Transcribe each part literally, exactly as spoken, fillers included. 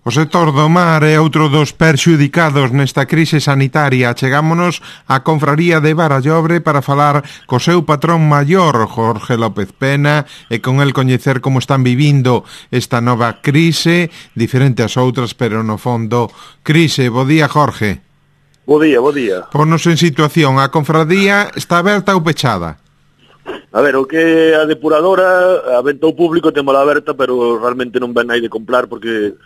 O sector do mar é outro dos perxudicados nesta crise sanitaria. Chegámonos á Confraría de Barallobre para falar co seu patrón maior, Jorge López Pena, e con el coñecer como están vivindo esta nova crise, diferente ás outras, pero no fondo crise. Bo día, Jorge. Bo día, bo día. Ponos en situación, a confradía está aberta ou pechada? A ver, o que a depuradora, a venta ao público, témola aberta, pero realmente non ven aí de comprar, porque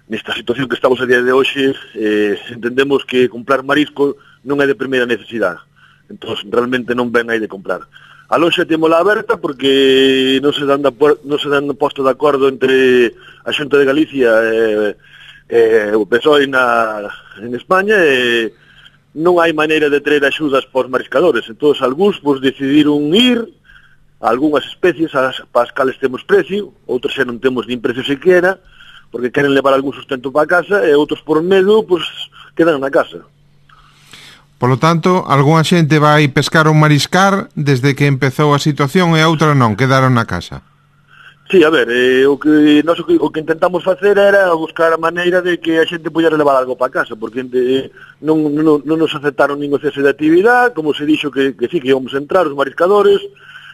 nesta situación que estamos a día de hoxe, eh, entendemos que comprar marisco non é de primeira necesidade. Entón, realmente non ven aí de comprar. A loxa témola aberta porque non se dan, da, non se dan posto de acordo entre a Xunta de Galicia e eh, eh, o P S O E na, en España, e non hai maneira de traer axudas para os mariscadores. Entón, algúns pues, decidiron ir a algunhas especies as, para as cales temos precio, outros xa non temos nin precio sequera, porque queren levar algún sustento para a casa, e outros por medo, pois, quedan na casa. Polo tanto, algunha xente vai pescar ou mariscar desde que empezou a situación e outra non, quedaron na casa. Sí, a ver, eh, o, que, nós, o, que, o que intentamos facer era buscar a maneira de que a xente pudera levar algo para casa, porque eh, non, non, non nos aceptaron ningún cese de actividade, como se dixo que, que sí, que íbamos a entrar os mariscadores,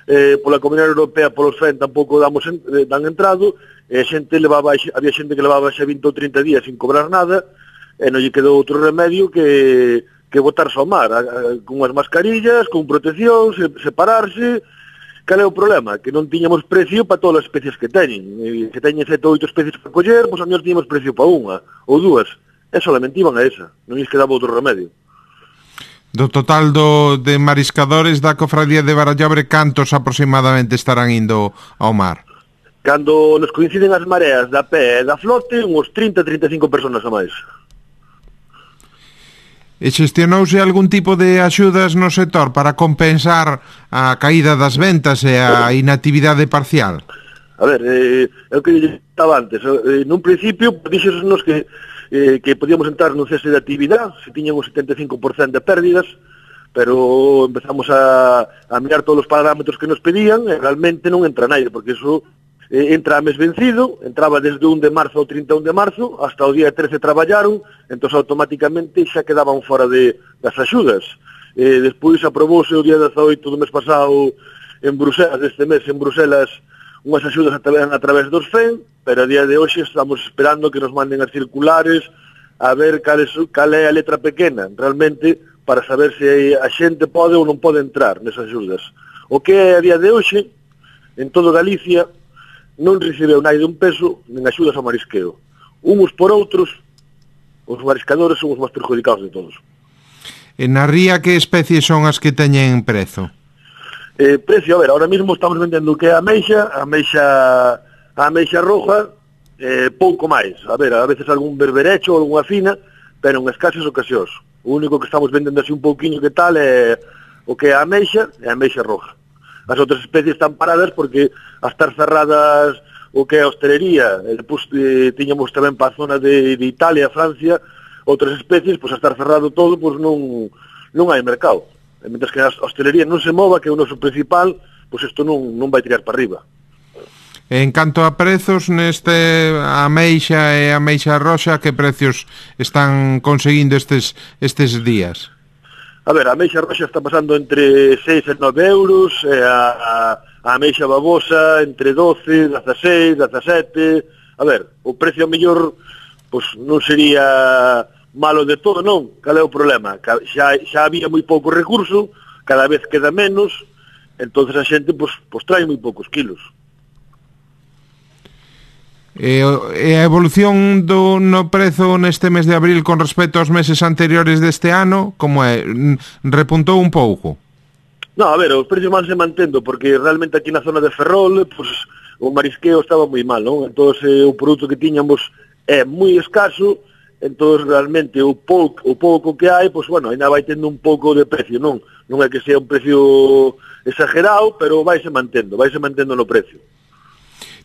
eh, pola Comunidade Europea, polos F E N tampouco damos en, eh, dan entrado, e a xente levaba, había xente que levaba xa vinte ou trinta días sin cobrar nada, e non lle quedou outro remedio que, que botarse ao mar, a, a, con as mascarillas, con protección, se, separarse. Cal é o problema? Que non tiñamos precio para todas as especies que teñen. E, se teñen sete ou oito especies para coller, pois a mellor tiñamos precio para unha, ou dúas, e solamente iban a esa, non lles quedaba outro remedio. Do total do, de mariscadores da Cofradía de Barallobre, cantos aproximadamente estarán indo ao mar? Cando nos coinciden as mareas da pé e da flote, uns trinta a trinta e cinco personas a máis. E xestionouse algún tipo de axudas no sector para compensar a caída das ventas e a inactividade parcial? A ver, eh, é o que estaba antes. Eh, nun principio, dixenos que, eh, que podíamos entrar nun cese de actividade, se tiñan un setenta e cinco por cento de pérdidas, pero empezamos a, a mirar todos os parámetros que nos pedían e realmente non entra naide, porque iso eh, entra a mes vencido, entraba desde un de marzo ao trinta e un de marzo, hasta o día trece traballaron, entón automáticamente xa quedaban fora de, das axudas. Eh, despois aprobouse o día dezaoito do mes pasado en Bruselas, deste mes en Bruselas, unhas axudas a, a través dos F E N, pero a día de hoxe estamos esperando que nos manden as circulares a ver cal, es, cal é a letra pequena, realmente, para saber se a xente pode ou non pode entrar nesas axudas. O que é a día de hoxe, en todo Galicia, non recibeu naide un peso nin axudas ao marisqueo. Uns por outros, os mariscadores son os máis perjudicados de todos. E na ría, que especies son as que teñen prezo? Eh, precio, a ver, ahora mismo estamos vendendo o que é a ameixa, a ameixa, a ameixa roja, eh, pouco máis. A ver, a veces algún berberecho ou algunha fina, pero en escasas ocasións. O único que estamos vendendo así un pouquiño que tal é o que é a ameixa e a ameixa roja. As outras especies están paradas porque a estar cerradas o que é a hostelería, e depois eh, tiñamos tamén para a zona de, de Italia, Francia, outras especies, pois a estar cerrado todo, pois non, non hai mercado. E mentre que a hostelería non se mova, que é o noso principal, pois isto non, non vai tirar para arriba. En canto a prezos, neste a ameixa e a ameixa roxa, que precios están conseguindo estes, estes días? A ver, a ameixa roxa está pasando entre seis e nove euros, e a, a, a ameixa babosa entre doce, dezaseis, dezasete. A ver, o precio mellor pois non sería malo de todo, non? Cal é o problema? Xa, xa había moi pouco recurso, cada vez queda menos, entonces a xente pois, pois trae moi poucos kilos. E, e a evolución do no prezo neste mes de abril con respecto aos meses anteriores deste ano, como é? Repuntou un pouco? No, a ver, os precios van se mantendo, porque realmente aquí na zona de Ferrol, pues, o marisqueo estaba moi mal, non? Entón, eh, o produto que tiñamos é moi escaso, entón, realmente, o pouco, o pouco que hai, pues, bueno, ainda vai tendo un pouco de precio, non? Non é que sea un precio exagerado, pero vai se mantendo, vai se mantendo no precio.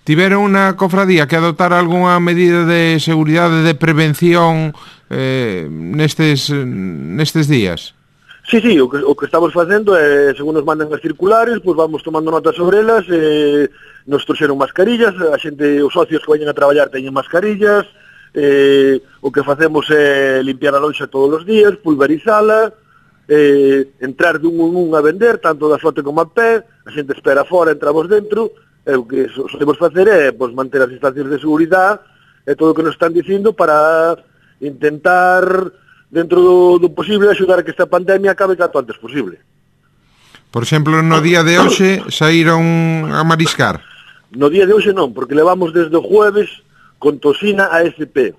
Tiveron unha cofradía que adoptar algunha medida de seguridade, de prevención eh, nestes, nestes días? Sí, sí, o que, o que estamos facendo é, según nos mandan as circulares, pois vamos tomando notas sobre elas, eh, nos trouxeron mascarillas, a xente, os socios que vayan a traballar teñen mascarillas, eh, o que facemos é limpiar a lonxa todos os días, pulverizala, eh, entrar dun un un a vender, tanto da flote como a pé, a xente espera fora, entramos dentro, e o que solemos facer é pues, manter as distancias de seguridade e todo o que nos están dicindo para intentar, dentro do, do posible, axudar a que esta pandemia acabe canto antes posible. Por exemplo, no día de hoxe saíron a mariscar? No día de hoxe non, porque levamos desde o jueves con Tosina a S P.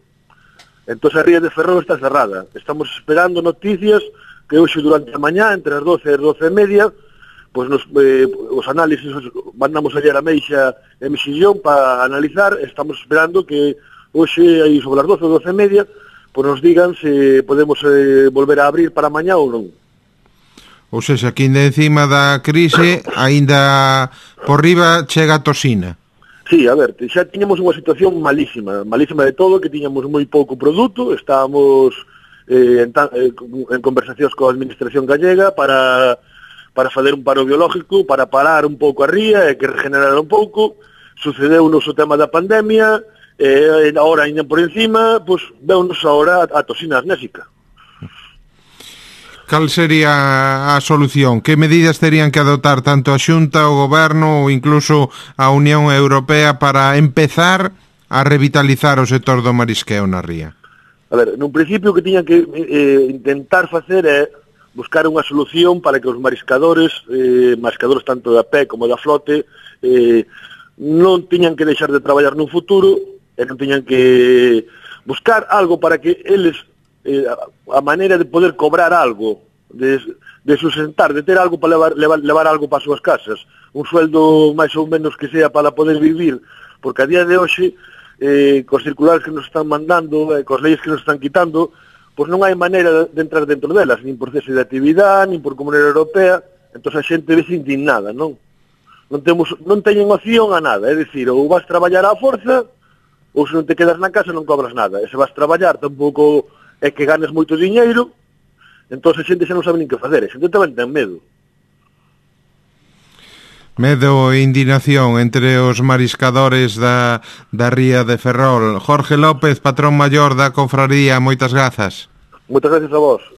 Entón a ría de Ferrol está cerrada. Estamos esperando noticias que hoxe durante a mañá, entre as doce e as doce e media, pois nos, eh, os análisis mandamos ayer a Meixa e Mexillón para analizar. Estamos esperando que hoxe, aí sobre as doce ou doce e media, pois nos digan se podemos eh, volver a abrir para mañá ou non. Ou seja, que ainda encima da crise, ainda por riba chega a Tosina. Sí, a ver, xa tiñamos unha situación malísima, malísima de todo, que tiñamos moi pouco produto, estábamos eh, en, eh, en conversacións coa administración gallega para, para fazer un paro biológico, para parar un pouco a ría e que regenerar un pouco. Sucedeu nos o tema da pandemia, e eh, agora ainda por encima, pois, veunos agora a, a Tosina asnésica. Cal sería a solución? Que medidas terían que adoptar tanto a Xunta, o Goberno ou incluso a Unión Europea para empezar a revitalizar o sector do marisqueo na ría? A ver, nun principio que tiñan que eh, intentar facer é buscar unha solución para que os mariscadores, eh, mariscadores tanto da pé como da flote, eh, non tiñan que deixar de traballar nun futuro e non tiñan que buscar algo para que eles Eh, a maneira de poder cobrar algo, de, de sustentar, de ter algo para levar, levar, levar algo para as súas casas, un sueldo máis ou menos que sea para poder vivir, porque a día de hoxe, eh, cos circulares que nos están mandando, eh, cos leyes que nos están quitando, pois non hai maneira de entrar dentro delas, nin por cese de actividade, nin por Comunidade Europea, entón a xente vese indignada, non? Non, temos, non teñen opción a nada, é dicir, ou vas traballar á forza, ou se non te quedas na casa non cobras nada, e se vas traballar tampouco é que ganes moito diñeiro, entón a xente xa non sabe nin que facer, a xente tamén ten medo. Medo e indignación entre os mariscadores da, da ría de Ferrol. Jorge López, patrón maior da Confraría, moitas grazas. Moitas gracias a vos.